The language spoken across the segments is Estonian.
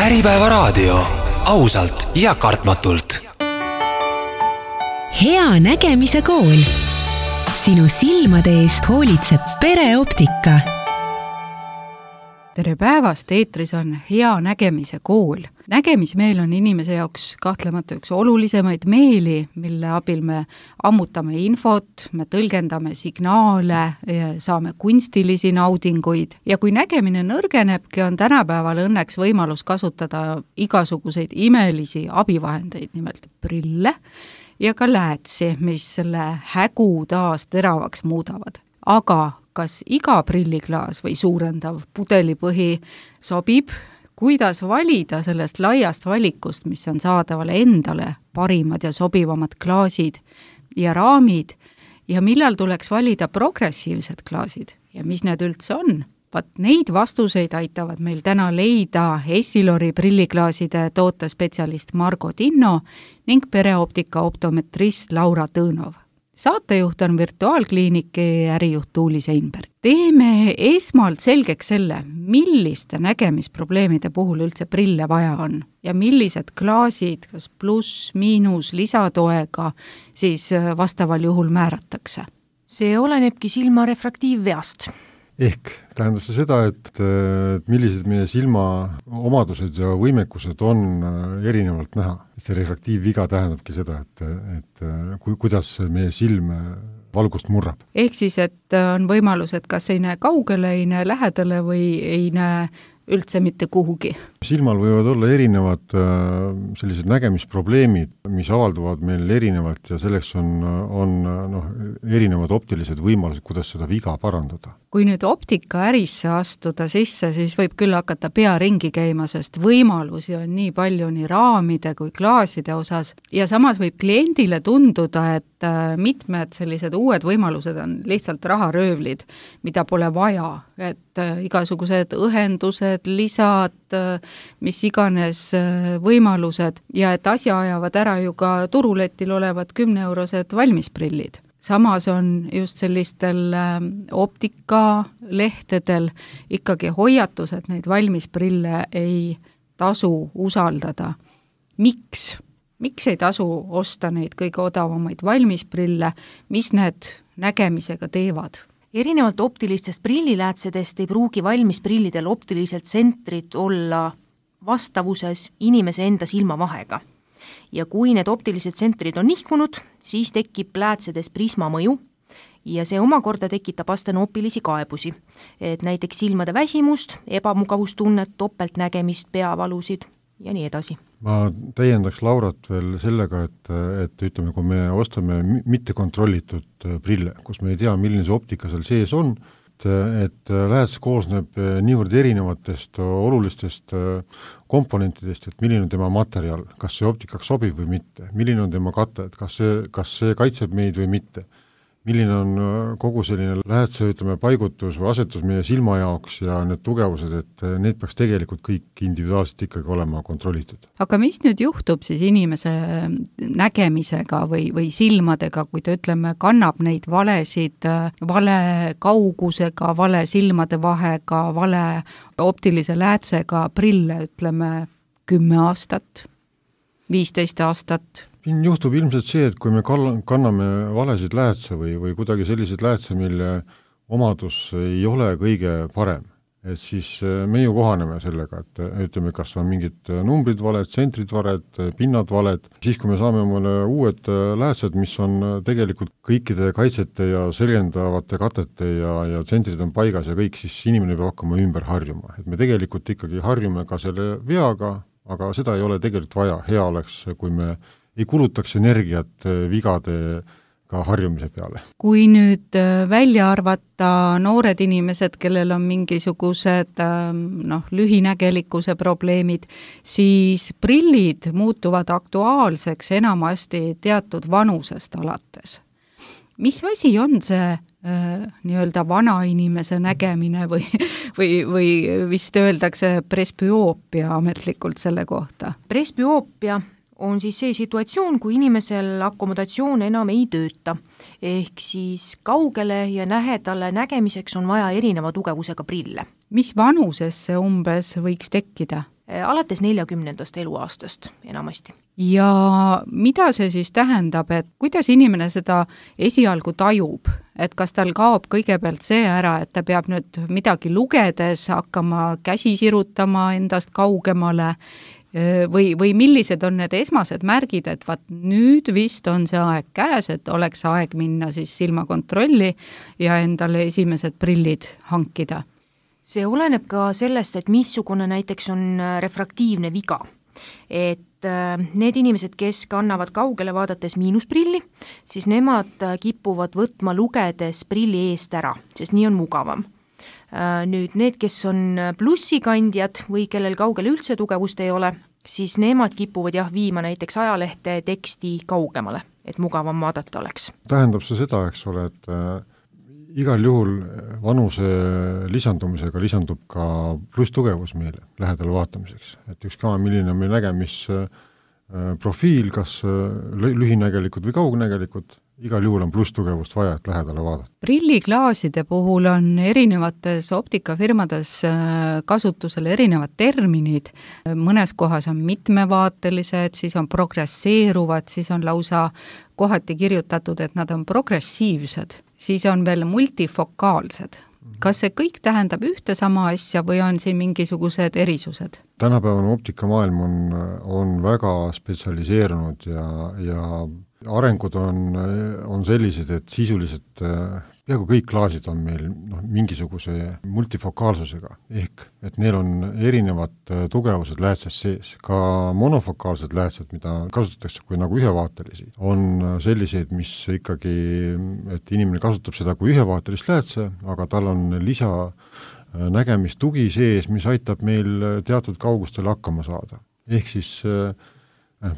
Äripäevaraadio, ausalt ja kartmatult. Hea nägemise kool. Sinu silmade eest hoolitseb Pereoptika. Tere päevast, eetris on Hea nägemise kool. Nägemismeel on inimese jaoks kahtlemata üks olulisemaid meeli, mille abil me ammutame infot, me tõlgendame signaale, saame kunstilisi naudinguid. Ja kui nägemine nõrgenebki, on tänapäeval õnneks võimalus kasutada igasuguseid imelisi abivahendeid, nimelt prille ja ka läätsi, mis selle hägu taas teravaks muudavad. Aga kas iga prilliklaas või suurendav pudelipõhi sobib? Kuidas valida sellest laiast valikust, mis on saadaval endale parimad ja sobivamad klaasid ja raamid, ja millal tuleks valida progressiivsed klaasid ja mis need üldse on? Neid vastuseid aitavad meil täna leida Essilori prilliklaaside tootespetsialist Margo Tinno ning Pereoptika optometrist Laura Tõnov. Saatejuht on virtuaalkliiniki ärijuht Tuuli Seinberg. Teeme esmalt selgeks selle, milliste nägemisprobleemide puhul üldse prille vaja on ja millised klaasid, kas pluss, miinus, lisatoega, siis vastaval juhul määratakse. See olenebki silma refraktiivveast. Ehk tähendab see seda, et millised meie silma omadused ja võimekused on erinevalt näha. See refraktiivviga tähendabki seda, et kuidas meie silm valgust murrab. Ehk siis, et on võimalus, et kas ei näe kaugele, ei näe lähedale või ei näe üldse mitte kuhugi. Silmal võivad olla erinevad sellised nägemisprobleemid, mis avalduvad meil erinevalt ja selleks on erinevad optilised võimalused, kuidas seda viga parandada. Kui nüüd optika ärisse astuda sisse, siis võib küll hakata pea ringi käima, sest võimalusi on nii palju nii raamide kui klaaside osas ja samas võib kliendile tunduda, et mitmed sellised uued võimalused on lihtsalt raharöövlid, mida pole vaja, et igasugused õhendused, lisad, mis iganes võimalused ja et asja ajavad ära ju ka turuletil olevad 10-eurosed valmisprillid. Samas on just sellistel optikalehtedel ikkagi hoiatus, et neid valmisprille ei tasu usaldada. Miks? Miks ei tasu osta neid kõige odavamaid valmisprille? Mis need nägemisega teevad? Erinevalt optilistest prilliläätsedest ei pruugi valmisprillidel optilised tsentrid olla vastavuses inimese enda silmavahega. Ja kui need optilised tsentrid on nihkunud, siis tekib läätsedes prisma mõju ja see omakorda tekitab astenoopilisi kaebusi, et näiteks silmade väsimust, ebamugavustunnet, topeltnägemist, peavalusid ja nii edasi. Ma täiendaks Laurat veel sellega, et ütleme, kui me ostame mitte kontrollitud prille, kus me ei tea, milline see optika seal sees on, et lääts koosneb niivõrd erinevatest olulistest komponentidest, et milline on tema materjal, kas see optikaks sobib või mitte, milline on tema kate, et kas see kaitseb meid või mitte, milline on kogu selline läätse, paigutus või asetus meie silma jaoks ja need tugevused, et need peaks tegelikult kõik individuaalselt ikkagi olema kontrollitud. Aga mis nüüd juhtub siis inimese nägemisega või silmadega, kui ta kannab neid valesid, vale kaugusega, vale silmade vahega, vale optilise läätsega prille, 10 aastat, 15 aastat? Siin juhtub ilmselt see, et kui me kanname valesid läätse või kuidagi selliseid läätse, mille omadus ei ole kõige parem, et siis me ju kohaneme sellega, et ütleme, kas on mingid numbrid valed, tsentrid valed, pinnad valed, siis kui me saame mõne uued läätsed, mis on tegelikult kõikide kaitsete ja selgendavate katete ja tsentrid on paigas ja kõik, siis inimene peab hakkama ümber harjuma. Et me tegelikult ikkagi harjume ka selle veaga, aga seda ei ole tegelikult vaja. Hea oleks, kui me ei kulutaks energiat vigadega harjumise peale. Kui nüüd välja arvata noored inimesed, kellel on mingisugused lühinägelikkuse probleemid, siis prillid muutuvad aktuaalseks enamasti teatud vanusest alates. Mis asi on see nii-öelda vana inimese nägemine või vist öeldakse presbüoopia ametlikult selle kohta? Presbüoopia on siis see situatsioon, kui inimesel akomodatsioon enam ei tööta. Ehk siis kaugele ja lähedale nägemiseks on vaja erineva tugevusega prille. Mis vanuses see umbes võiks tekkida? alates 40. eluaastast enamasti. Ja mida see siis tähendab, et kuidas inimene seda esialgu tajub, et kas tal kaob kõigepealt see ära, et ta peab nüüd midagi lugedes hakkama käsi sirutama endast kaugemale või millised on need esmased märgid, et vaat nüüd vist on see aeg käes, et oleks aeg minna siis silmakontrolli ja endale esimesed prillid hankida? See oleneb ka sellest, et missugune näiteks on refraktiivne viga. Et need inimesed, kes kannavad kaugele vaadates miinusprilli, siis nemad kipuvad võtma lugedes prilli eest ära, sest nii on mugavam. Nüüd need, kes on plussikandjad või kellel kaugele üldse tugevust ei ole, siis nemad kipuvad viima näiteks ajalehte teksti kaugemale, et mugavam vaadata oleks. Tähendab see seda, eks ole, et igal juhul vanuse lisandumisega lisandub ka plusstugevus meile lähedale vaatamiseks. Et ükskõik milline on meil nägemisprofiil, kas lühinägelikud või kaugnägelikud, igal juhul on plusstugevust vaja, et lähedale vaadata. Prilliklaaside puhul on erinevates optikafirmades kasutusel erinevad terminid. Mõnes kohas on mitmevaatelised, siis on progresseeruvad, siis on lausa kohati kirjutatud, et nad on progressiivsed, siis on veel multifokaalsed. Kas see kõik tähendab ühte sama asja või on siin mingisugused erisused? Tänapäevane optikamaailm on väga spetsialiseerunud ja arengud on sellised, et sisuliselt peaaegu kõik klaasid on meil mingisuguse multifokaalsusega, ehk et neil on erinevad tugevused läätses sees. Ka monofokaalsed läätsed, mida kasutatakse kui nagu ühevaatelisi, on selliseid, mis ikkagi, et inimene kasutab seda kui ühevaatelist läätse, aga tal on lisa nägemistugi sees, mis aitab meil teatud kaugustele hakkama saada. Ehk siis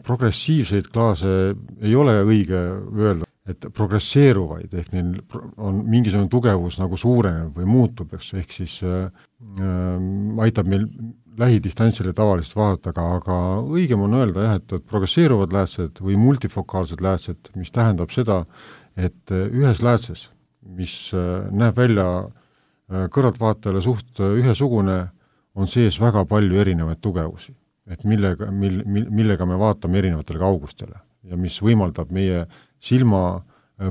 progressiivseid klaase ei ole õige öelda, et progresseeruvaid, ehk neil on mingisugune tugevus nagu suureneb või muutub, ehk siis aitab meil lähidistantsile tavalist vaadata, aga õigem on öelda et progresseeruvad läätsed või multifokaalsed läätsed, mis tähendab seda, et ühes läätses, mis näeb välja kõrvaltvaatajale suht ühesugune, on sees väga palju erinevaid tugevusi. Et millega me vaatame erinevatele kaugustele ja mis võimaldab meie silma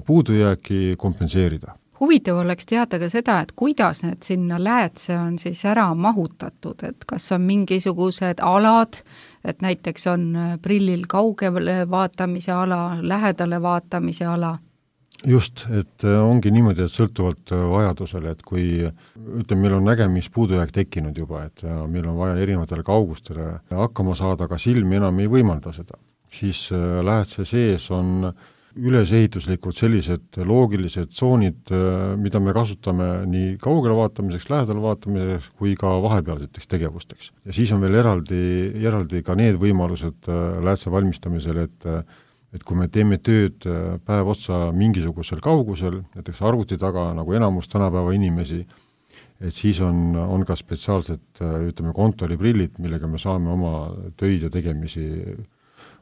puudujääki kompenseerida. Huvitav oleks teada ka seda, et kuidas need sinna läätse on siis ära mahutatud, et kas on mingisugused alad, et näiteks on prillil kaugele vaatamise ala, lähedale vaatamise ala? Just, et ongi niimoodi, et sõltuvalt vajadusele, et kui meil on nägemispuudujääk tekkinud juba, et meil on vaja erinevatele kaugustele hakkama saada, aga silm enam ei võimalda seda, siis läätse sees on ülesehituslikult sellised loogilised tsoonid, mida me kasutame nii kaugele vaatamiseks, lähedale vaatamiseks kui ka vahepealseteks tegevusteks. Ja siis on veel eraldi ka need võimalused läätse valmistamisel, et kui me teeme tööd päev otsa mingisugusel kaugusel, näiteks arvuti taga, nagu enamus tänapäeva inimesi, et siis on ka spetsiaalsed, kontoriprillid, millega me saame oma töid ja tegemisi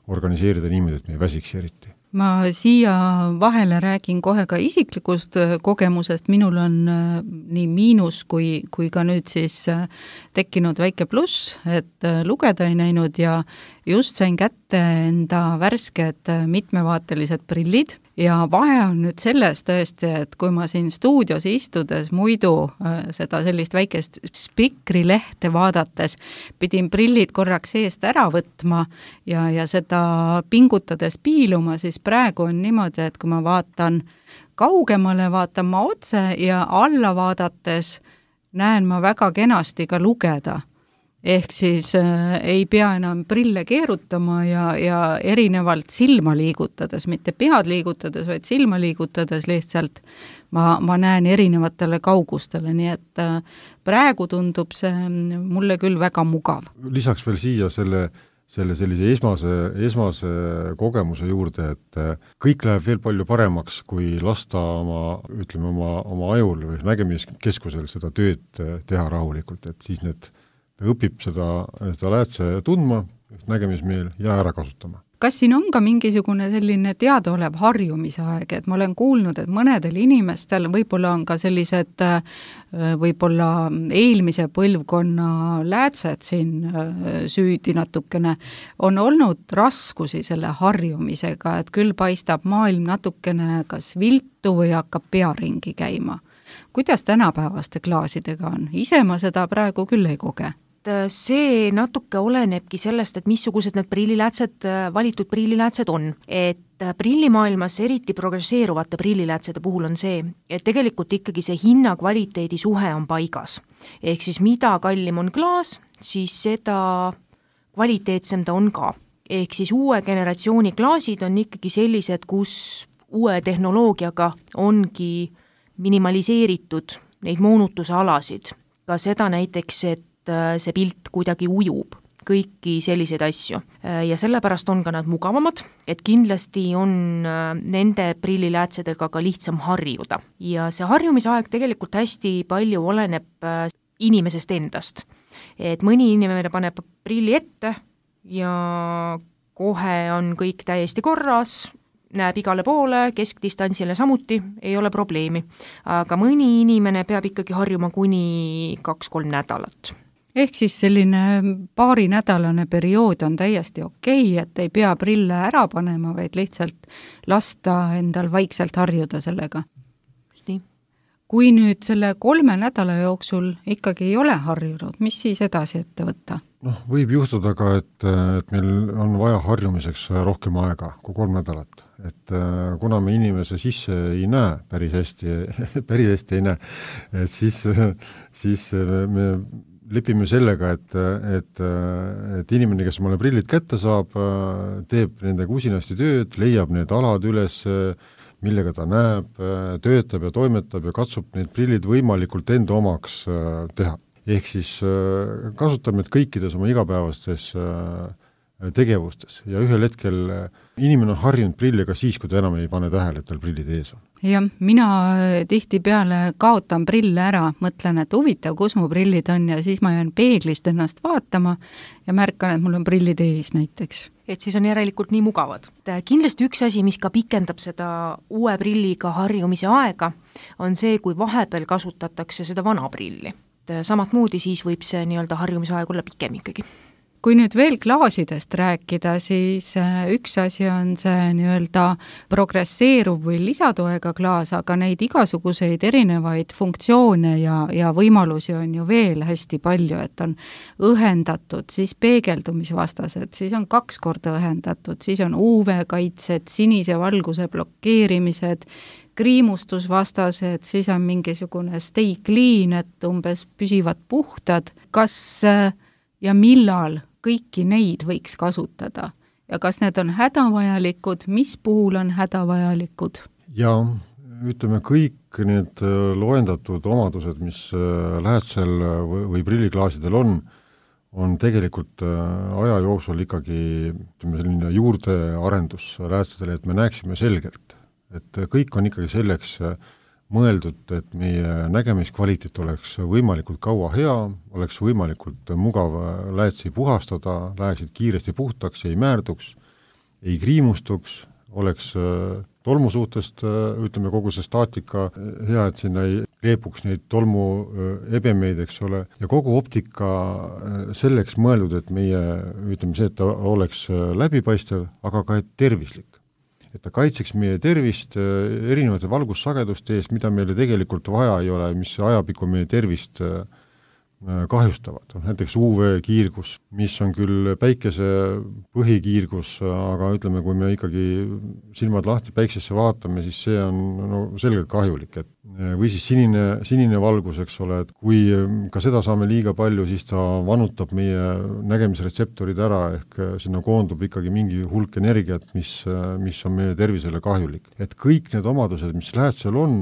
organiseerida niimoodi, et me ei väsiks eriti. Ma siia vahele räägin kohe ka isiklikust kogemusest, minul on nii miinus kui ka nüüd siis tekkinud väike pluss, et lugeda ei näinud ja just sain kätte enda värsked mitmevaatelised prillid ja vahe on nüüd selles tõesti, et kui ma siin stuudios istudes muidu seda sellist väikest spikrilehte vaadates pidin prillid korraks eest ära võtma ja seda pingutades piiluma, siis praegu on niimoodi, et kui ma vaatan kaugemale, vaatan ma otse ja alla vaadates näen ma väga kenasti ka lugeda. Ehk siis ei pea enam prille keerutama ja erinevalt silma liigutades, mitte pead liigutades, vaid silma liigutades lihtsalt ma näen erinevatele kaugustele, nii et praegu tundub see mulle küll väga mugav. Lisaks veel siia sellise esmase kogemuse juurde, et kõik läheb veel palju paremaks, kui lasta oma ajul või nägemiskeskusel seda tööd teha rahulikult, et siis ta õpib seda läätse tundma, nägemismeel ja ära kasutama. Kas siin on ka mingisugune selline teadaolev harjumisaeg, et ma olen kuulnud, et mõnedel inimestel võib-olla on ka sellised võib-olla eelmise põlvkonna läätsed siin süüdi natukene, on olnud raskusi selle harjumisega, et küll paistab maailm natukene kas viltu või hakkab pea ringi käima. Kuidas tänapäevaste klaasidega on? Ise ma seda praegu küll ei koge. See natuke olenebki sellest, et missugused need prilliläätsed, valitud prilliläätsed on. Et prillimaailmas eriti progresseeruvate prilliläätsede puhul on see, et tegelikult ikkagi see hinna-kvaliteedi suhe on paigas. Ehk siis mida kallim on klaas, siis seda kvaliteetsem ta on ka. Ehk siis uue generatsiooni klaasid on ikkagi sellised, kus uue tehnoloogiaga ongi minimaliseeritud neid moonutuse alasid. Ka seda näiteks, et see pilt kuidagi ujub, kõiki selliseid asju. Ja sellepärast on ka nad mugavamad, et kindlasti on nende prilliläätsedega ka lihtsam harjuda. Ja see harjumisaeg tegelikult hästi palju oleneb inimesest endast. Et mõni inimene paneb prilli ette ja kohe on kõik täiesti korras, näeb igale poole, keskdistantsile samuti, ei ole probleemi. Aga mõni inimene peab ikkagi harjuma kuni 2-3 nädalat. Ehk siis selline paarinädalane periood on täiesti okei, et ei pea prille ära panema, vaid lihtsalt lasta endal vaikselt harjuda sellega. Just nii. Kui nüüd selle 3 nädala jooksul ikkagi ei ole harjunud, mis siis edasi ette võtta? Võib juhtuda ka, et meil on vaja harjumiseks rohkem aega kui 3 nädalat. Et kuna me inimese sisse ei näe päris hästi ei näe, et siis me lepime sellega, et inimene, kes omale prillid kätte saab, teeb nendega usinasti tööd, leiab need alad üles, millega ta näeb, töötab ja toimetab ja katsub need prillid võimalikult enda omaks teha. Ehk siis kasutab need kõikides oma igapäevastes tegevustes ja ühel hetkel inimene on harjunud prilliga siis, kui ta enam ei pane tähele, et tal prillid ees on. Jah, mina tihtipeale kaotan prille ära, mõtlen, et huvitav, kus mu prillid on ja siis ma jään peeglist ennast vaatama ja märkan, et mul on prillid ees näiteks. Et siis on järelikult nii mugavad. Kindlasti üks asi, mis ka pikendab seda uue prilliga harjumise aega, on see, kui vahepeal kasutatakse seda vana prilli. Samat moodi siis võib see nii-öelda harjumisaeg olla pikem ikkagi. Kui nüüd veel klaasidest rääkida, siis üks asi on see nii-öelda progresseeruv või lisatoega klaas, aga neid igasuguseid erinevaid funktsioone ja võimalusi on ju veel hästi palju, et on õhendatud, siis peegeldumisvastased, siis on 2 korda õhendatud, siis on UV-kaitsed, sinise valguse blokeerimised, kriimustusvastased, siis on mingisugune stay clean, et umbes püsivad puhtad. Kas ja millal kõiki neid võiks kasutada ja kas need on hädavajalikud, mis puhul on hädavajalikud? Ja ütleme, kõik need loendatud omadused, mis läätsel või prilliklaasidel on tegelikult aja jooksul ikkagi selline juurdearendus läätsedele, et me näeksime selgelt, et kõik on ikkagi selleks mõeldud, et meie nägemiskvaliteet oleks võimalikult kaua hea, oleks võimalikult mugav läätsi puhastada, läheksid kiiresti puhtaks, ei määrduks, ei kriimustuks, oleks tolmu suhtest, ütleme, kogu see staatika hea, et sinna ei kleepuks neid tolmu ebemeid, eks ole, ja kogu optika selleks mõeldud, et meie, ütleme see, et ta oleks läbipaistev, aga ka tervislik. Et ta kaitseks meie tervist erinevate valgussageduste eest, mida meile tegelikult vaja ei ole, mis ajapikku meie tervist kahjustavad. Näiteks UV-kiirgus, mis on küll päikese põhikiirgus, aga ütleme, kui me ikkagi silmad lahti päiksesse vaatame, siis see on selgelt kahjulik. Või siis sinine valgus, eks ole, et kui ka seda saame liiga palju, siis ta vanutab meie nägemisretseptorid ära, ehk sinna koondub ikkagi mingi hulk energiat, mis on meie tervisele kahjulik. Et kõik need omadused, mis läätsel on,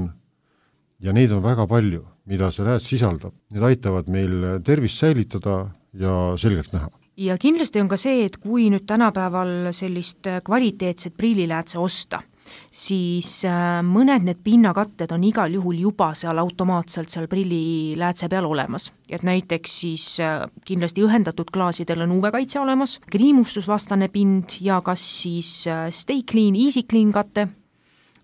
ja neid on väga palju, mida see lääts sisaldab. Need aitavad meil tervist säilitada ja selgelt näha. Ja kindlasti on ka see, et kui nüüd tänapäeval sellist kvaliteetset prilliläätse osta, siis mõned need pinnakatted on igal juhul juba seal automaatselt seal prilliläätse peal olemas. Et näiteks siis kindlasti õhendatud klaasidel on UV-kaitse olemas, kriimustusvastane pind ja kas siis Stay Clean, Easy Clean katte,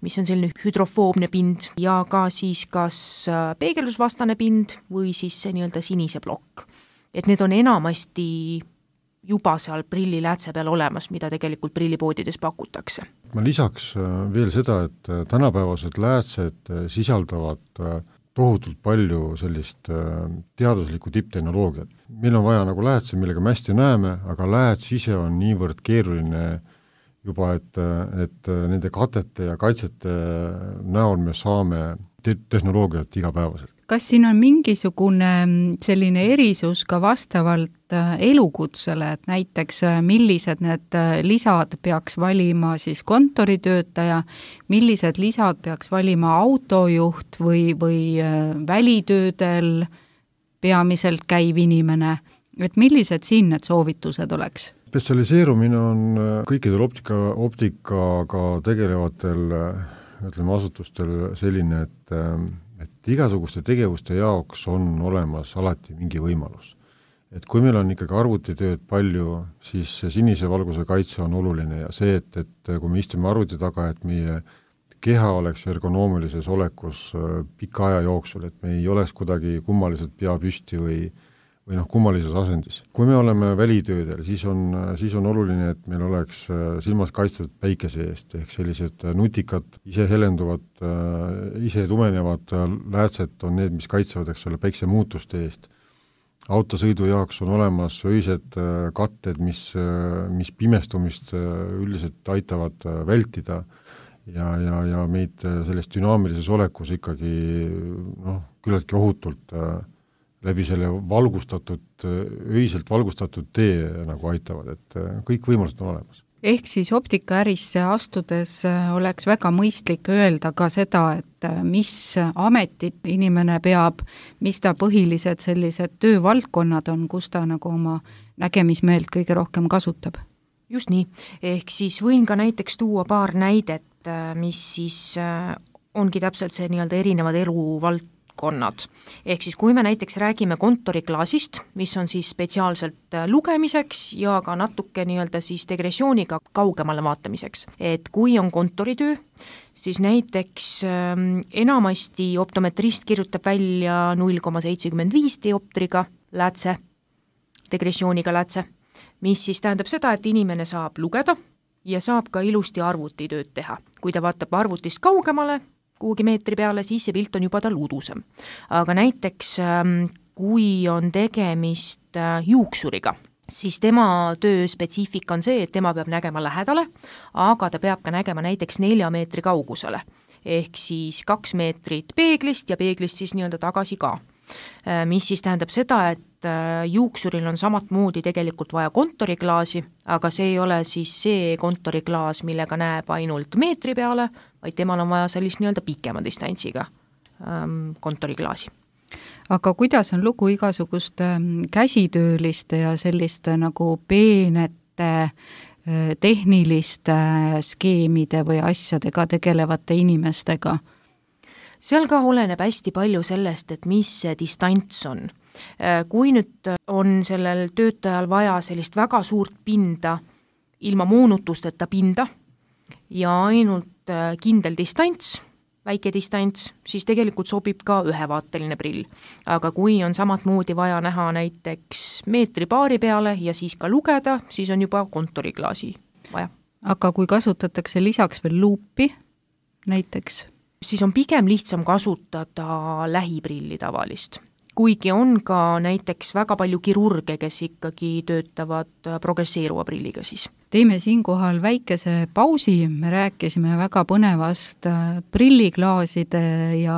mis on selline hüdrofoobne pind ja ka siis kas peegeldusvastane pind või siis see nii-öelda sinise plokk. Et need on enamasti juba seal prilliläätse peal olemas, mida tegelikult prillipoodides pakutakse. Ma lisaks veel seda, et tänapäevased läätsed sisaldavad tohutult palju sellist teaduslikku tipptehnoloogiat. Meil on vaja nagu läätse, millega me hästi näeme, aga lääts ise on niivõrd keeruline juba, et nende katete ja kaitsete näol me saame tehnoloogiat igapäevaselt. Kas siin on mingisugune selline erisus ka vastavalt elukutsele, et näiteks millised need lisad peaks valima siis kontoritöötaja, millised lisad peaks valima autojuht või välitöödel peamiselt käiv inimene, et millised siin need soovitused oleks? Spetsialiseerumine on kõikidel optikaga tegelevatel asutustel selline, et igasuguste tegevuste jaoks on olemas alati mingi võimalus. Et kui meil on ikkagi arvutitööd palju, siis sinise valguse kaitse on oluline ja see, et kui me istume arvuti taga, et meie keha oleks ergonoomilises olekus pika aja jooksul, et me ei oleks kuidagi kummaliselt pea püsti või kummalises asendis. Kui me oleme välitöödel, siis on oluline, et meil oleks silmas kaitstud päikese eest, ehk sellised nutikad, ise helenduvad, ise tumenevad läätsed on need, mis kaitsevad päikse muutuste eest. Autosõidu jaoks on olemas öised katted, mis pimestumist üldiselt aitavad vältida ja meid selles dünaamilises olekus ikkagi küllaltki ohutult läbi selle öiselt valgustatud tee nagu aitavad, et kõik võimalused on olemas. Ehk siis optikaärisse astudes oleks väga mõistlik öelda ka seda, et mis ametit inimene peab, mis ta põhilised sellised töövaldkonnad on, kus ta nagu oma nägemismeelt kõige rohkem kasutab. Just nii, ehk siis võin ka näiteks tuua paar näidet, mis siis ongi täpselt see nii-öelda erinevad eluvaldkonnad. Ehk siis kui me näiteks räägime kontoriklaasist, mis on siis spetsiaalselt lugemiseks ja ka natuke nii-öelda siis degressiooniga kaugemale vaatamiseks. Et kui on kontoritöö, siis näiteks enamasti optometrist kirjutab välja 0,75 dioptriga läätse, degressiooniga läätse, mis siis tähendab seda, et inimene saab lugeda ja saab ka ilusti arvutitööd teha. Kui ta vaatab arvutist kaugemale, kuhugi meetri peale, siis see pilt on juba tal udusem. Aga näiteks, kui on tegemist juuksuriga, siis tema töö spetsiifika on see, et tema peab nägema lähedale, aga ta peab ka nägema näiteks 4 meetri kaugusele. Ehk siis 2 meetrit peeglist ja peeglist siis nii-öelda tagasi ka. Mis siis tähendab seda, et juuksuril on samatmoodi tegelikult vaja kontoriklaasi, aga see ei ole siis see kontoriklaas, millega näeb ainult meetri peale, vaid temal on vaja sellist nii-öelda pikema distantsiga kontoriklaasi. Aga kuidas on lugu igasuguste käsitööliste ja selliste nagu peenete tehniliste skeemide või asjadega tegelevate inimestega? Seal ka oleneb hästi palju sellest, et mis see distants on. Kui nüüd on sellel töötajal vaja sellist väga suurt pinda, ilma moonutusteta pinda ja ainult kindel distants, väike distants, siis tegelikult sobib ka ühevaateline prill. Aga kui on samatmoodi vaja näha näiteks meetri-paari peale ja siis ka lugeda, siis on juba kontoriklaasi vaja. Aga kui kasutatakse lisaks veel luupi näiteks? Siis on pigem lihtsam kasutada lähiprilli tavalist. Kuigi on ka näiteks väga palju kirurge, kes ikkagi töötavad progresseeruva prilliga siis. Teeme siinkohal väikese pausi, me rääkisime väga põnevast prilliklaaside ja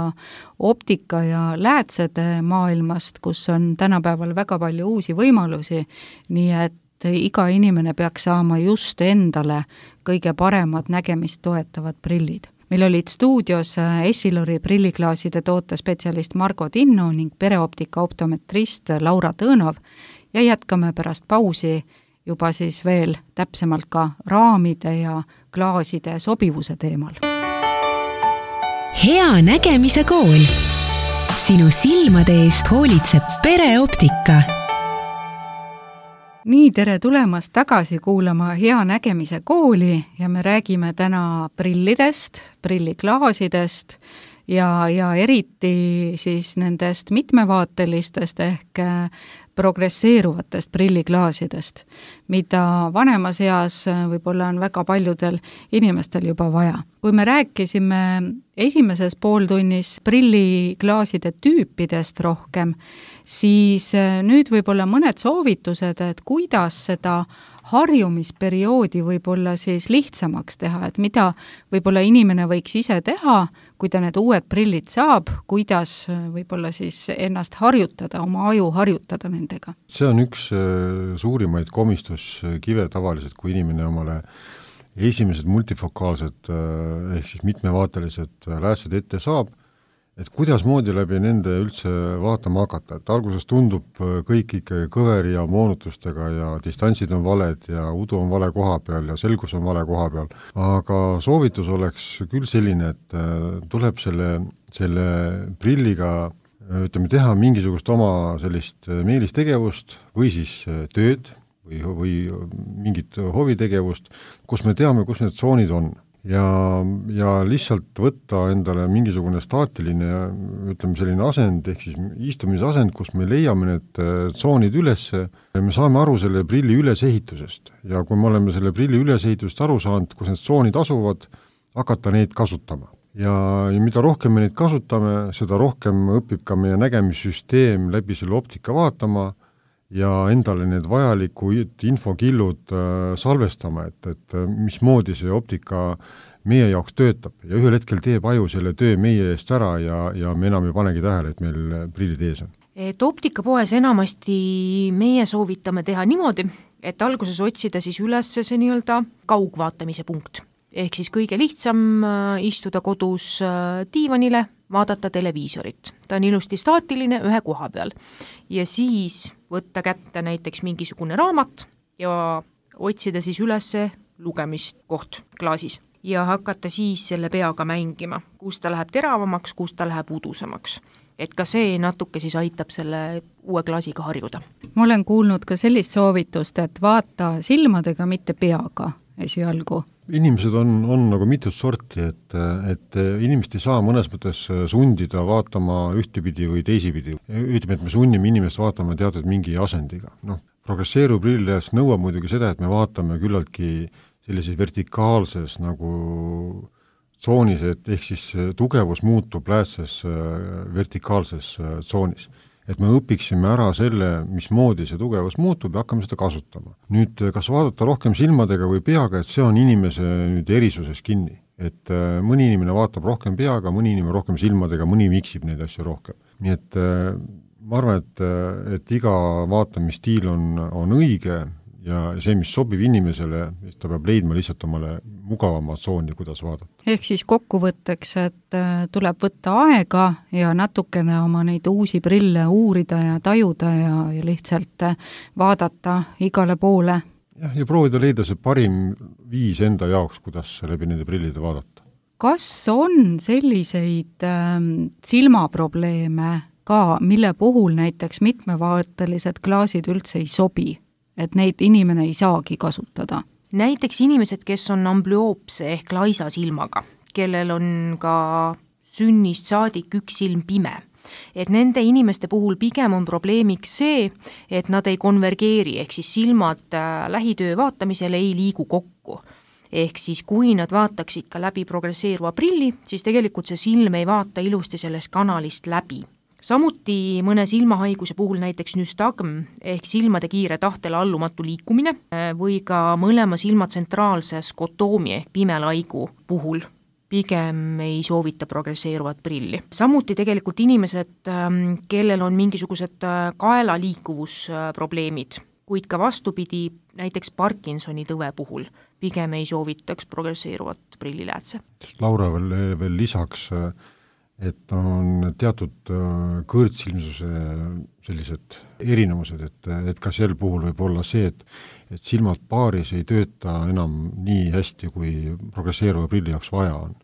optika ja läätsede maailmast, kus on tänapäeval väga palju uusi võimalusi, nii et iga inimene peaks saama just endale kõige paremad nägemist toetavad prillid. Meil olid stuudios Essilori prilliklaaside tootespetsialist Margo Tinno ning pereoptika optometrist Laura Tõõnov ja jätkame pärast pausi juba siis veel täpsemalt ka raamide ja klaaside sobivuse teemal. Hea nägemise kool. Sinu silmade eest hoolitseb pereoptika. Nii, tere tulemast tagasi kuulama Hea nägemise kooli ja me räägime täna prillidest, prilliklaasidest ja eriti siis nendest mitmevaatelistest ehk progresseeruvatest prilliklaasidest, mida vanemas eas võib-olla on väga paljudel inimestel juba vaja. Kui me rääkisime esimeses pooltunnis prilliklaaside tüüpidest rohkem, siis nüüd võib-olla mõned soovitused, et kuidas seda harjumisperioodi võib-olla siis lihtsamaks teha, et mida võib-olla inimene võiks ise teha, kui ta need uued prillid saab, kuidas võib-olla siis ennast harjutada, oma aju harjutada nendega. See on üks suurimaid komistuskive tavaliselt, kui inimene omale esimesed multifokaalsed ehk siis mitmevaatelised läätsed ette saab, et kuidas moodi läbi nende üldse vaatama hakata, et alguses tundub kõik ikkagi kõveri ja moonutustega ja distantsid on valed ja udu on vale koha peal ja selgus on vale koha peal, aga soovitus oleks küll selline, et tuleb selle prilliga ütleme, teha mingisugust oma sellist meelistegevust või siis tööd või mingit hovitegevust, kus me teame, kus need tsoonid on. Ja lihtsalt võtta endale mingisugune staatiline, ütleme selline asend, ehk siis istumisasend, kus me leiame need tsoonid üles ja me saame aru selle prilli ülesehitusest. Ja kui me oleme selle prilli ülesehitusest aru saanud, kus need tsoonid asuvad, hakata neid kasutama. Ja mida rohkem me neid kasutame, seda rohkem õpib ka meie nägemissüsteem läbi selle optika vaatama ja endale need vajalikud infokillud salvestama, et mismoodi see optika meie jaoks töötab. Ja ühel hetkel teeb aju selle töö meie eest ära ja me enam ei panegi tähele, et meil prillid ees on. Et optikapoes enamasti meie soovitame teha niimoodi, et alguses otsida siis üles see nii-öelda kaugvaatamise punkt. Ehk siis kõige lihtsam istuda kodus diivanile, vaadata televiisorit. Ta on ilusti staatiline ühe koha peal. Ja siis võtta kätte näiteks mingisugune raamat ja otsida siis üles lugemiskoht klaasis ja hakata siis selle peaga mängima, kus ta läheb teravamaks, kus ta läheb udusamaks. Et ka see natuke siis aitab selle uue klaasiga harjuda. Ma olen kuulnud ka sellist soovitust, et vaata silmadega, mitte peaga esialgu. Inimesed on nagu mitut sorti, et inimest ei saa mõnes mõttes sundida vaatama ühtepidi või teisipidi. Ütleme, et me sunnime inimest vaatama teatud mingi asendiga. Progresseeruv prillilääs nõuab muidugi seda, et me vaatame küllaltki sellises vertikaalses nagu tsoonis, et ehk siis tugevus muutub läätses vertikaalses tsoonis. Et me õpiksime ära selle, mismoodi see tugevus muutub ja hakkame seda kasutama. Nüüd, kas vaadata rohkem silmadega või peaga, et see on inimese nüüd erisuses kinni. Et mõni inimene vaatab rohkem peaga, mõni inimene rohkem silmadega, mõni miksib neid asju rohkem. Nii et ma arvan, et iga vaatamisstiil on õige ja see, mis sobib inimesele, ta peab leidma lihtsalt omale mugavama tsooni, kuidas vaadata. Ehk siis kokkuvõtteks, et tuleb võtta aega ja natukene oma neid uusi prille uurida ja tajuda ja lihtsalt vaadata igale poole. Ja proovida leida see parim viis enda jaoks, kuidas läbi nende prillide vaadata. Kas on selliseid silmaprobleeme ka, mille puhul näiteks mitmevaatelised klaasid üldse ei sobi? Et neid inimene ei saagi kasutada. Näiteks inimesed, kes on amblüoopse ehk laisa silmaga, kellel on ka sünnist saadik üks silm pime. Et nende inimeste puhul pigem on probleemiks see, et nad ei konvergeeri, ehk siis silmad lähitöö vaatamisel ei liigu kokku. Ehk siis kui nad vaataksid ka läbi progresseeruva prilli, siis tegelikult see silm ei vaata ilusti sellest kanalist läbi. Samuti mõne silmahaiguse puhul näiteks nystagm ehk silmade kiire tahtele allumatu liikumine või ka mõlema silma tsentraalse skotoomi ehk pimelaigu puhul pigem ei soovita progresseeruvat prilli. Samuti tegelikult inimesed, kellel on mingisugused kaela liikuvusprobleemid, kuid ka vastupidi näiteks Parkinsoni tõve puhul pigem ei soovitaks progresseeruvat prilliläätse. Laura veel lisaks et on teatud kõõrtsilmsuse sellised erinevused, et ka sel puhul võib olla see, et silmad paaris ei tööta enam nii hästi, kui progresseeruva prilli jaoks vaja on.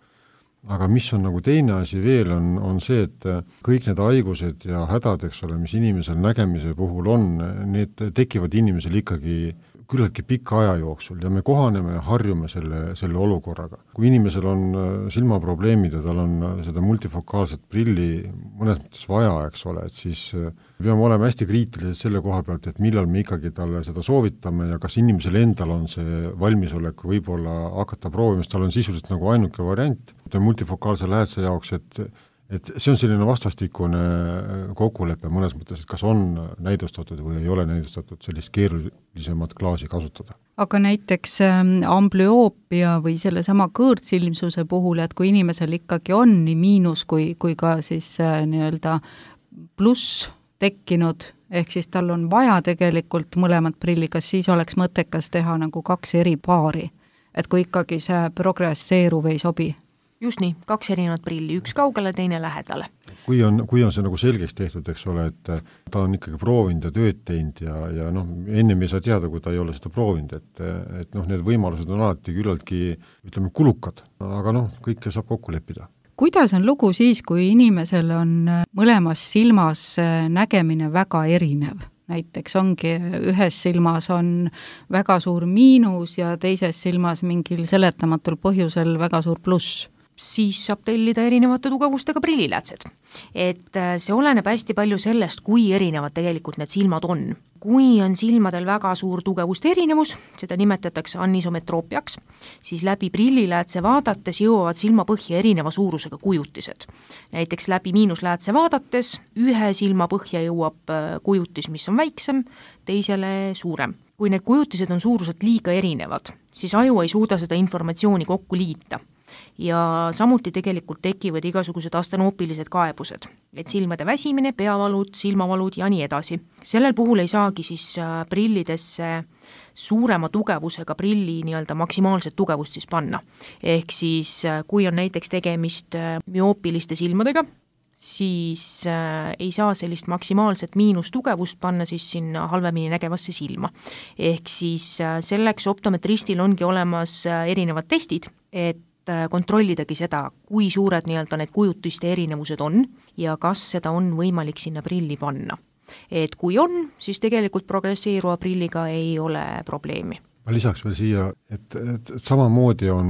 Aga mis on nagu teine asi veel, on see, et kõik need haigused ja hädad, eks ole, mis inimesel nägemise puhul on, need tekivad inimesel ikkagi küllaltki pika aja jooksul ja me kohaneme ja harjume selle olukorraga. Kui inimesel on silmaprobleemid ja tal on seda multifokaalset prilli mõnes mõttes vaja, eks ole, et siis peame olema hästi kriitilised selle koha pealt, et millal me ikkagi talle seda soovitame ja kas inimesel endal on see valmisolek võib-olla hakata proovima, sest tal on sisuliselt nagu ainuke variant multifokaalse lähedase jaoks, et see on selline vastastikune kokkulepe mõnes mõttes, et kas on näidustatud või ei ole näidustatud sellist keerulisemat klaasi kasutada. Aga näiteks amblüoopia või sellesama kõõrtsilmsuse puhul, et kui inimesel ikkagi on nii miinus kui ka siis nii-öelda pluss tekkinud, ehk siis tal on vaja tegelikult mõlemat prilli, kas siis oleks mõttekas teha nagu 2 eri paari, et kui ikkagi see progresseeruv ei sobi? Just nii, 2 erinevat prilli, üks kaugele, teine lähedale. Kui on see nagu selgeks tehtud, eks ole, et ta on ikkagi proovinud ja tööd teinud ja ennem ei saa teada, kui ta ei ole seda proovinud, et need võimalused on alati küllaltki, ütleme, kulukad, aga kõike saab kokku leppida. Kuidas on lugu siis, kui inimesel on mõlemas silmas nägemine väga erinev? Näiteks ongi ühes silmas on väga suur miinus ja teises silmas mingil seletamatul põhjusel väga suur pluss. Siis saab tellida erinevate tugevustega prilliläätsed. Et see oleneb hästi palju sellest, kui erinevad tegelikult need silmad on. Kui on silmadel väga suur tugevuste erinevus, seda nimetatakse anisometroopiaks, siis läbi prilliläätse vaadates jõuavad silmapõhja erineva suurusega kujutised. Näiteks läbi miinusläätse vaadates ühe silmapõhja jõuab kujutis, mis on väiksem, teisele suurem. Kui need kujutised on suuruselt liiga erinevad, siis aju ei suuda seda informatsiooni kokku liita. Ja samuti tegelikult tekivad igasugused astenoopilised kaebused, et silmade väsimine, peavalud, silmavalud ja nii edasi. Sellel puhul ei saagi siis prillidesse suurema tugevusega prilli nii-öelda maksimaalset tugevust siis panna. Ehk siis kui on näiteks tegemist müoopiliste silmadega, siis ei saa sellist maksimaalset miinustugevust panna siis sinna halvemini nägevasse silma. Ehk siis selleks optometristil ongi olemas erinevad testid, et kontrollidagi seda, kui suured nii-öelda need kujutiste erinevused on ja kas seda on võimalik sinna prilli panna. Et kui on, siis tegelikult progresseeruva prilliga ei ole probleemi. Ma lisaks veel siia, et samamoodi on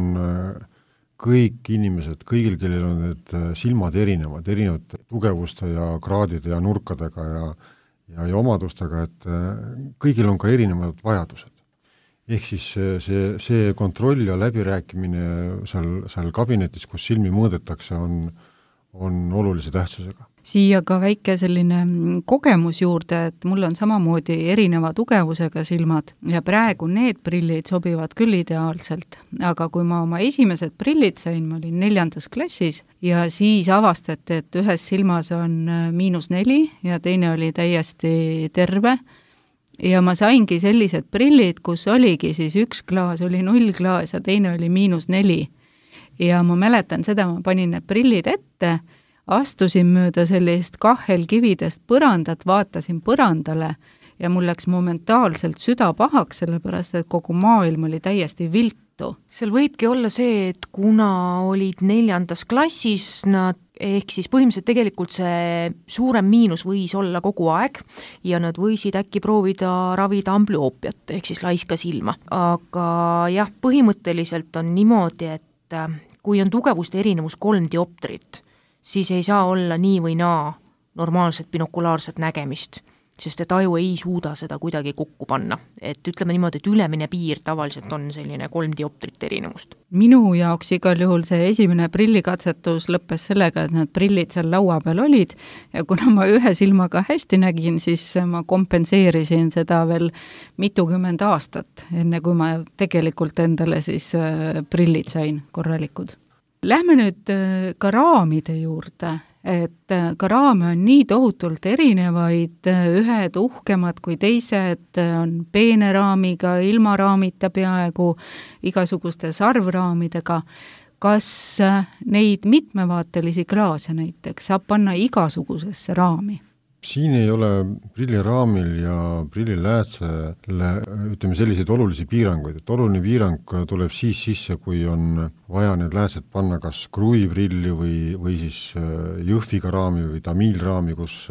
kõik inimesed, kõigil, kellel on need silmad erinevad tugevuste ja kraadide ja nurkadega ja omadustega, et kõigil on ka erinevad vajadused. Ehk siis see kontroll ja läbirääkimine seal kabinetis, kus silmi mõõdetakse, on olulise tähtsusega. Siia ka väike selline kogemus juurde, et mul on samamoodi erineva tugevusega silmad ja praegu need prillid sobivad küll ideaalselt, aga kui ma oma esimesed prillid sain, ma olin 4. klassis ja siis avastati, et ühes silmas on -4 ja teine oli täiesti terve. Ja ma saingi sellised prillid, kus oligi siis üks klaas oli 0 klaas ja teine oli -4. Ja ma mäletan seda, ma panin need prillid ette, astusin mööda sellist kahelkividest põrandat, vaatasin põrandale ja mul läks momentaalselt süda pahaks, sellepärast et kogu maailm oli täiesti viltu. Seal võibki olla see, et kuna olid 4. klassis, ehk siis põhimõtteliselt tegelikult see suurem miinus võis olla kogu aeg ja nad võisid äkki proovida ravida amblüoopiat ehk siis laiska silma. Aga jah, põhimõtteliselt on niimoodi, et kui on tugevuste erinevus 3 dioptrit, siis ei saa olla nii või naa normaalset binokulaarset nägemist, sest et aju ei suuda seda kuidagi kokku panna. Et ütleme niimoodi, et ülemine piir tavaliselt on selline 3 dioptrit erinevust. Minu jaoks igal juhul see esimene prillikatsetus lõppes sellega, et need prillid seal laua peal olid ja kuna ma ühe silmaga hästi nägin, siis ma kompenseerisin seda veel mitukümmend aastat, enne kui ma tegelikult endale siis prillid sain korralikud. Lähme nüüd ka raamide juurde. Et ka raame on nii tohutult erinevaid, ühed uhkemad kui teised on peene raamiga, ilma raamita peaaegu, igasuguste sarvraamidega. kas neid mitmevaatelisi klaase näiteks saab panna igasugusesse raami? Siin ei ole prilliraamil ja prilliläätsele, ütleme, selliseid olulisi piiranguid, et oluline piirang tuleb siis sisse, kui on vaja need läätsed panna kas kruiviprilli või siis jõhviga raami või tamiilraami, kus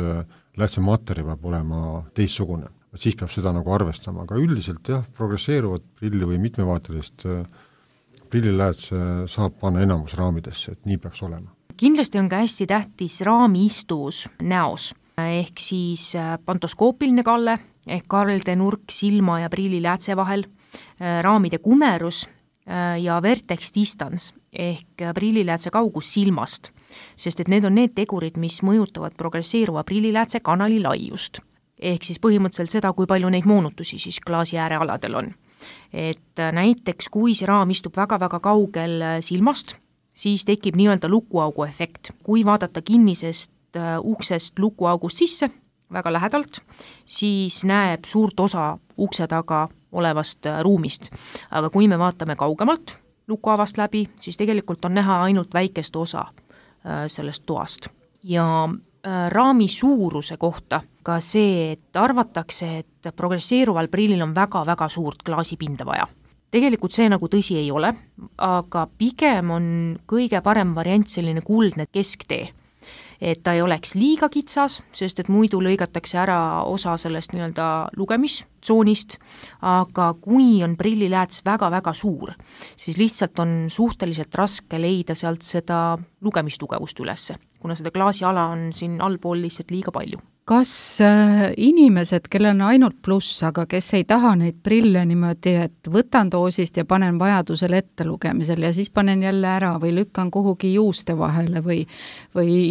läätse materjal peab olema teistsugune. Siis peab seda nagu arvestama, aga üldiselt jah, progresseeruvat prilli või mitmevaatelist prilliläätse saab panna enamus raamidesse, et nii peaks olema. Kindlasti on ka hästi tähtis raami istus näos. Ehk siis pantoskoopiline kalle, ehk karlde nurk silma ja prilliläätse vahel, raamide kumerus ja vertex distance ehk prilliläätse kaugus silmast, sest et need on need tegurid, mis mõjutavad progresseeruva prilliläätse kanali laiust. Ehk siis põhimõtteliselt seda, kui palju neid moonutusi siis klaasi äärealadel on. Et näiteks, kui see raam istub väga-väga kaugel silmast, siis tekib nii-öelda lukuaugu efekt. Kui vaadata kinnisest uksest lukuaugust sisse väga lähedalt, siis näeb suurt osa ukse taga olevast ruumist. Aga kui me vaatame kaugemalt lukuavast läbi, siis tegelikult on näha ainult väikest osa sellest toast. Ja raami suuruse kohta ka see, et arvatakse, et progresseeruval prillil on väga-väga suurt klaasipinda vaja. Tegelikult see nagu tõsi ei ole, aga pigem on kõige parem variant selline kuldne kesktee. Et ta ei oleks liiga kitsas, sest et muidu lõigatakse ära osa sellest nii-öelda lugemistsoonist, aga kui on prillilääts väga-väga suur, siis lihtsalt on suhteliselt raske leida sealt seda lugemistugevust ülesse, kuna seda klaasiala on siin allpool lihtsalt liiga palju. Kas inimesed, kellel on ainult pluss, aga kes ei taha neid prille niimoodi, et võtan doosist ja panen vajadusel ette lugemisel ja siis panen jälle ära või lükkan kuhugi juuste vahele või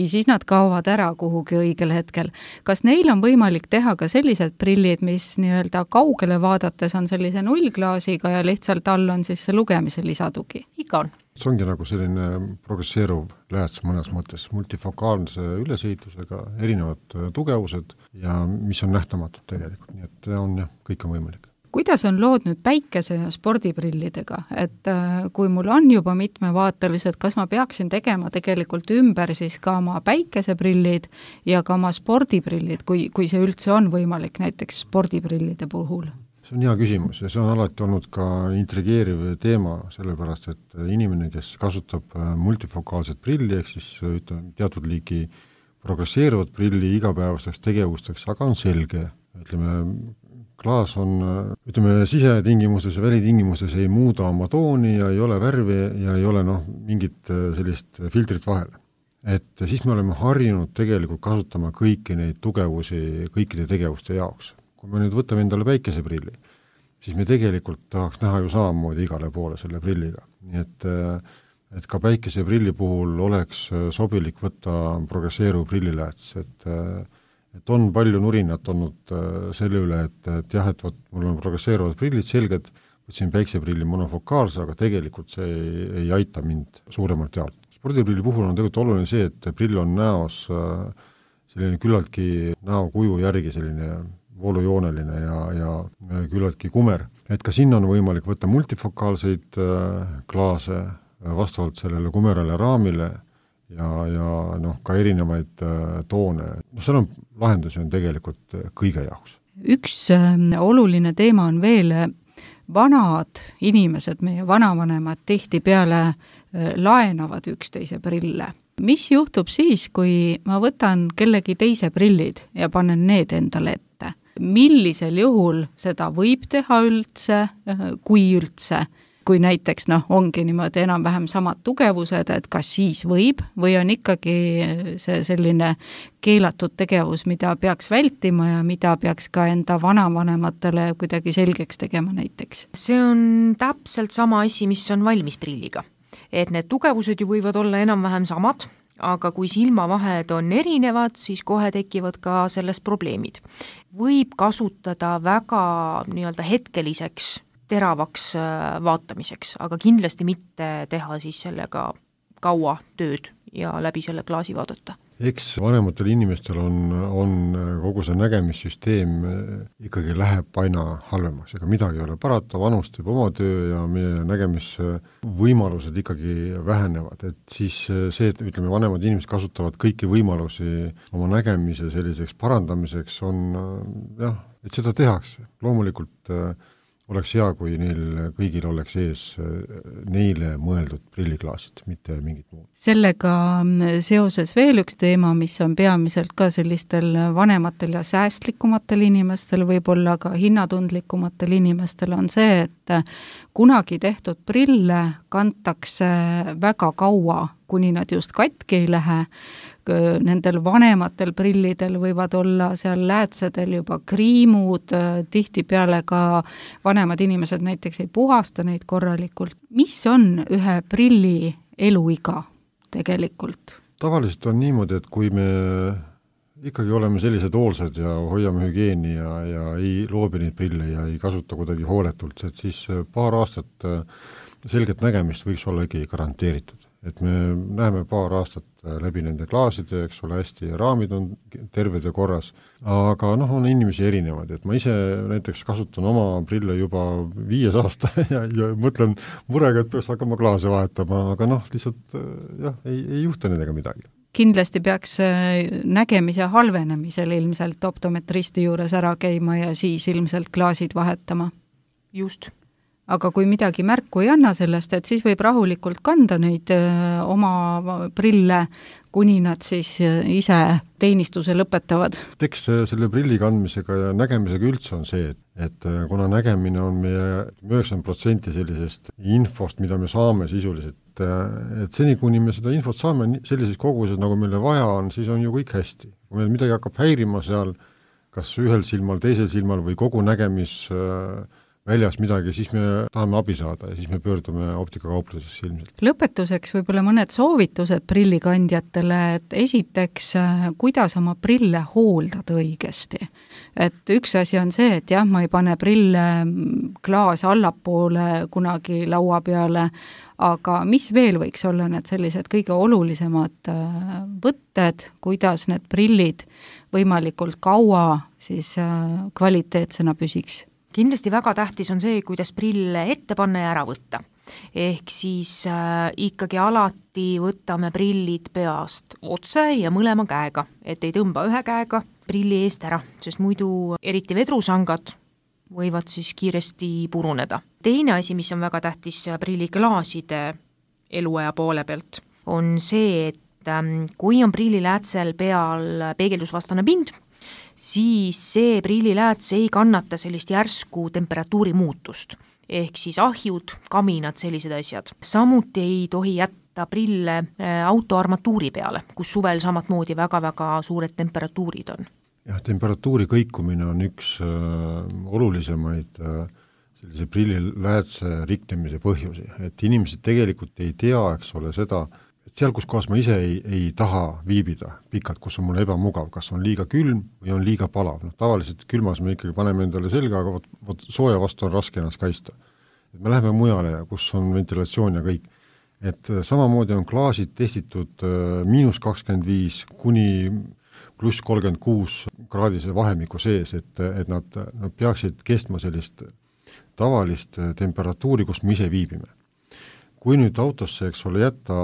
siis nad kaovad ära kuhugi õigel hetkel. Kas neil on võimalik teha ka sellised prillid, mis nii-öelda kaugele vaadates on sellise nullklaasiga ja lihtsalt all on siis see lugemise lisatugi? Ikka on. See ongi nagu selline progresseeruv lääts mõnes mõttes, multifokaalse ülesehitusega, erinevad tugevused ja mis on nähtamatud tegelikult, nii et on jah, kõik on võimalik. Kuidas on lood nüüd päikese- ja spordiprillidega, et kui mul on juba mitmevaatelised, kas ma peaksin tegema tegelikult ümber siis ka oma päikeseprillid ja ka oma spordiprillid, kui see üldse on võimalik näiteks spordiprillide puhul? See on hea küsimus ja see on alati olnud ka intrigeeriv teema, sellepärast et inimene, kes kasutab multifokaalset prilli, ehk siis ütleme, teatud liigi progresseeruvat prilli igapäevasteks tegevusteks, aga on selge, ütleme, klaas on, ütleme, sisetingimustes ja välitingimustes ei muuda oma tooni ja ei ole värvi ja ei ole mingit sellist filtrit vahel. Et siis me oleme harjunud tegelikult kasutama kõiki neid tugevusi kõikide tegevuste jaoks. Kui me nüüd võtame endale päikeseprilli, siis me tegelikult tahaks näha ju samamoodi igale poole selle prilliga. Nii et ka päikeseprilli puhul oleks sobilik võtta progresseeruv prillilääts, et on palju nurinat olnud selle üle, et jah, et mul on progresseeruvad prillid selged, võtsin päikseprilli monofokaalse, aga tegelikult see ei aita mind suuremalt jaolt. Spordiprilli puhul on tegelikult oluline see, et prill on näos selline küllaltki näokuju järgi selline voolujooneline ja küllaltki kumer. Et ka sinna on võimalik võtta multifokaalseid klaase vastavalt sellele kumerale raamile ja ka erinevaid toone. Seal on lahendusi on tegelikult kõige jaoks. Üks oluline teema on veel vanad inimesed, meie vanavanemad tihtipeale laenavad üksteise prille. Mis juhtub siis, kui ma võtan kellegi teise prillid ja panen need endale ette? Millisel juhul seda võib teha üldse, kui üldse? Kui näiteks ongi niimoodi enam-vähem samad tugevused, et kas siis võib või on ikkagi see selline keelatud tegevus, mida peaks vältima ja mida peaks ka enda vanavanematele kuidagi selgeks tegema näiteks? See on täpselt sama asi, mis on valmisprilliga. Et need tugevused ju võivad olla enam-vähem samad, aga kui silmavahed on erinevad, siis kohe tekivad ka sellest probleemid. Võib kasutada väga nii-öelda hetkeliseks teravaks vaatamiseks, aga kindlasti mitte teha siis sellega kaua tööd ja läbi selle klaasi vaadata. eks vanematel inimestel on kogu see nägemissüsteem ikkagi läheb aina halvemaks, ega midagi ei ole parata, vanus teeb oma töö ja meie nägemisvõimalused ikkagi vähenevad, et siis see, et ütleme, vanemad inimesed kasutavad kõiki võimalusi oma nägemise selliseks parandamiseks, on jah, et seda tehakse. Loomulikult oleks hea, kui neil kõigil oleks ees neile mõeldud prilliklaasid, mitte mingit muud. Sellega seoses veel üks teema, mis on peamiselt ka sellistel vanematel ja säästlikumatel inimestel, võib-olla ka hinnatundlikumatel inimestel, on see, et kunagi tehtud prille kantakse väga kaua, kuni nad just katki ei lähe. Nendel vanematel prillidel võivad olla seal läätsedel juba kriimud, tihtipeale ka vanemad inimesed näiteks ei puhasta neid korralikult. Mis on ühe prilli eluiga tegelikult? Tavaliselt on niimoodi, et kui me ikkagi oleme sellised hoolsad ja hoiame hügieeni ja ei loobi neid prille ja ei kasuta kuidagi hooletult, et siis paar aastat selget nägemist võiks olla ikkagi garanteeritud. Et me näeme paar aastat läbi nende klaaside, eks ole, hästi, raamid on terved ja korras, aga on inimesi erinevad, et ma ise näiteks kasutan oma prille juba 5 aasta ja mõtlen murega, et peaks hakkama klaase vahetama, aga lihtsalt ei juhtu nendega midagi. Kindlasti peaks nägemise halvenemisel ilmselt optometristi juures ära käima ja siis ilmselt klaasid vahetama. Just. Aga kui midagi märku ei anna sellest, et siis võib rahulikult kanda neid oma prille, kuni nad siis ise teenistuse lõpetavad. Eks selle prilli kandmisega ja nägemisega üldse on see, et kuna nägemine on meie 90% sellisest infost, mida me saame sisuliselt, et seni, kuni me seda infot saame sellises koguses, nagu meile vaja on, siis on ju kõik hästi. Kui meil midagi hakkab häirima seal, kas ühel silmal, teisel silmal või kogu nägemis väljas midagi, siis me tahame abi saada ja siis me pöördume optikakauplusesse ilmselt. Lõpetuseks võib-olla mõned soovitused prillikandjatele, et esiteks, kuidas oma prille hooldada õigesti. Et üks asi on see, et jah, ma ei pane prille klaas allapoole kunagi laua peale, aga mis veel võiks olla need sellised kõige olulisemad võtted, kuidas need prillid võimalikult kaua siis kvaliteetsena püsiks? Kindlasti väga tähtis on see, kuidas prille ette panna ja ära võtta. Ehk siis ikkagi alati võtame prillid peast otse ja mõlema käega, et ei tõmba ühe käega prilli eest ära, sest muidu eriti vedrusangad võivad siis kiiresti puruneda. Teine asi, mis on väga tähtis prilliklaaside eluaja poole pealt, on see, et kui on prilliläätsel peal peegeldusvastane pind, siis see prillilääts ei kannata sellist järsku temperatuuri muutust, ehk siis ahjud, kaminad, sellised asjad. Samuti ei tohi jätta prille autoarmatuuri peale, kus suvel samatmoodi väga-väga suured temperatuurid on. Jah, temperatuuri kõikumine on üks olulisemaid sellise prilliläätse riknemise põhjusi, et inimesed tegelikult ei tea, eks ole, seda, seal, kus kohas ma ise ei taha viibida pikalt, kus on mul ebamugav, kas on liiga külm või on liiga palav. Tavaliselt külmas me ikkagi paneme endale selga, aga võt sooja vastu on raske ennast kaista. Et me läheme mujale, kus on ventilatsioon ja kõik. Et samamoodi on klaasid testitud -25 kuni pluss 36 kraadise vahemiku sees, et nad peaksid kestma sellist tavalist temperatuuri, kus me ise viibime. Kui nüüd autosse, eks ole, jätta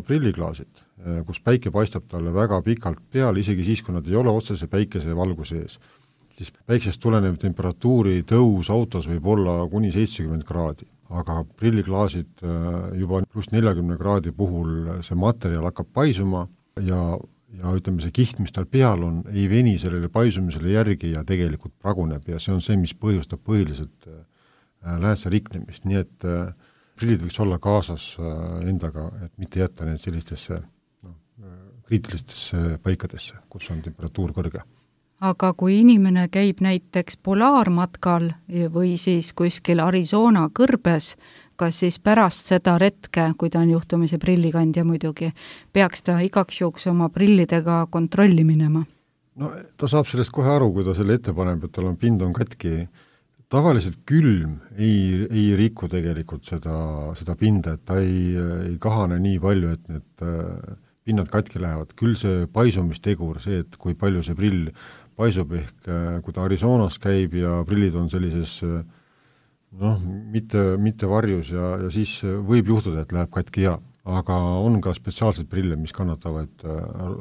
prilliklaasid, kus päike paistab talle väga pikalt peale, isegi siis, kui nad ei ole otsese päikese valguse ees, siis päiksest tulenev temperatuuri tõus autos võib olla kuni 70 kraadi. Aga prilliklaasid juba pluss 40 kraadi puhul see materjal hakkab paisuma ja ütleme, see kiht, mis tal peal on, ei veni sellele paisumisele järgi ja tegelikult praguneb ja see on see, mis põhjustab põhiliselt läätse riknemist, nii et prillid võiks olla kaasas endaga, et mitte jätta need sellistesse kriitilistesse paikadesse, kus on temperatuur kõrge. Aga kui inimene käib näiteks polaarmatkal või siis kuskil Arizona kõrbes, kas siis pärast seda retke, kui ta on juhtumisi prillikandja muidugi, peaks ta igaks juhuks oma prillidega kontrolli minema? No ta saab sellest kohe aru, kui ta selle ette paneb, et tal on pind on katki. Tavaliselt külm ei riku tegelikult seda pinda, et ta ei kahane nii palju, et need pinnad katki lähevad, küll see paisumistegur, see, et kui palju see prill paisub, ehk kui ta Arizonas käib ja prillid on sellises mitte varjus ja siis võib juhtuda, et läheb katki aga on ka spetsiaalseid prille, mis kannatavad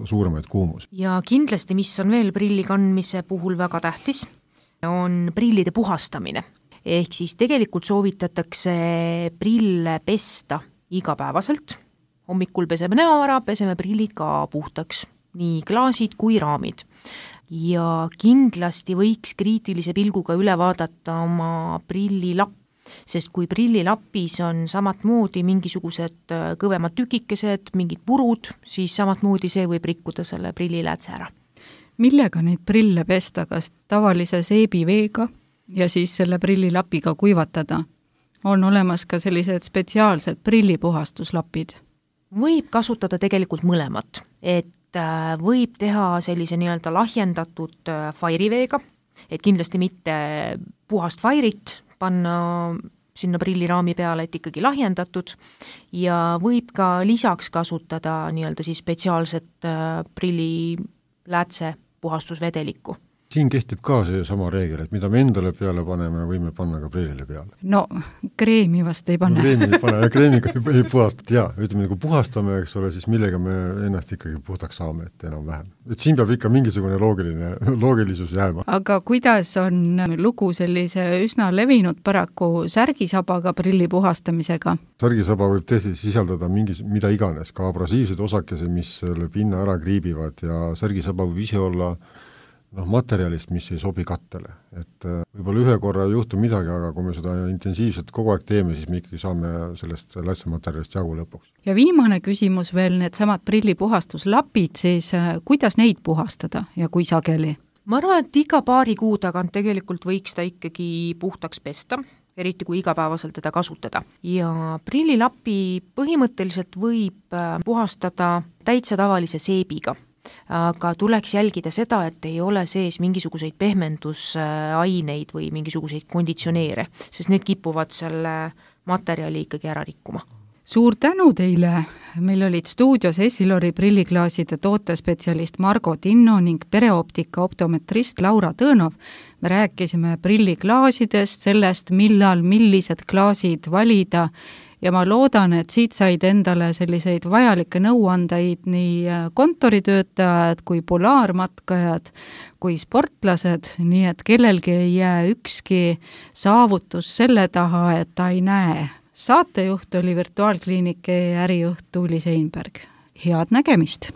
suuremaid kuumusi. Ja kindlasti, mis on veel prilli kandmise puhul väga tähtis, on prillide puhastamine. Ehk siis tegelikult soovitatakse prille pesta igapäevaselt. Hommikul peseme näo ära, peseme prillid ka puhtaks, nii klaasid kui raamid. Ja kindlasti võiks kriitilise pilguga üle vaadata oma prillilapp, sest kui prillilapis on samatmoodi mingisugused kõvemad tükikesed, mingid purud, siis samatmoodi see võib rikkuda selle prilliläätse ära. Millega neid prille pesta, kas tavalise seebiveega ja siis selle prillilapiga kuivatada? On olemas ka sellised spetsiaalsed prillipuhastuslapid? Võib kasutada tegelikult mõlemat, et võib teha sellise nii-öelda lahjendatud fairiveega, et kindlasti mitte puhast fairit panna sinna prilliraami peale, et ikkagi lahjendatud, ja võib ka lisaks kasutada nii-öelda siis spetsiaalset prilliläätse puhastusvedelikku. Siin kehtib ka see sama reegel, et mida me endale peale paneme, võime panna ka prillile peale. No, kreemi vast ei pane. Kreemi ei pane, ja kreemiga ei puhastada, ütleme, kui puhastame, eks ole, siis millega me ennast ikkagi puhtaks saame, et enam vähem. Et siin peab ikka mingisugune loogilisus jääma. Aga kuidas on lugu sellise üsna levinud paraku särgisabaga prilli puhastamisega? Särgisaba võib tõesti sisaldada mida iganes, ka abrasiivsed osakese, mis selle pinna ära kriibivad, ja särgisaba võib ise olla materjalist, mis ei sobi kattele. Et võib-olla ühe korra ei juhtu midagi, aga kui me seda intensiivselt kogu aeg teeme, siis me ikkagi saame sellest lätsematerjalist jagu lõpuks. Ja viimane küsimus veel, need samad prillipuhastuslapid, siis kuidas neid puhastada ja kui sageli? Ma arvan, et iga paari kuu tagant tegelikult võiks ta ikkagi puhtaks pesta, eriti kui igapäevaselt teda kasutada. Ja prillilapi põhimõtteliselt võib puhastada täitsa tavalise seebiga, aga tuleks jälgida seda, et ei ole sees mingisuguseid pehmendusaineid või mingisuguseid konditsioneere, sest need kipuvad selle materjali ikkagi ära rikkuma. Suur tänu teile! Meil olid stuudios Essilori prilliklaaside tootespetsialist Margo Tinno ning pereoptika optometrist Laura Tõnov. Me rääkisime prilliklaasidest, sellest, millal millised klaasid valida, ja ma loodan, et siit said endale selliseid vajalikke nõuandeid nii kontoritöötajad kui polaarmatkajad kui sportlased, nii et kellelgi ei jää ükski saavutus selle taha, et ta ei näe. Saatejuht oli Virtuaalkliinike ärijuht Tuuli Seinberg. Head nägemist!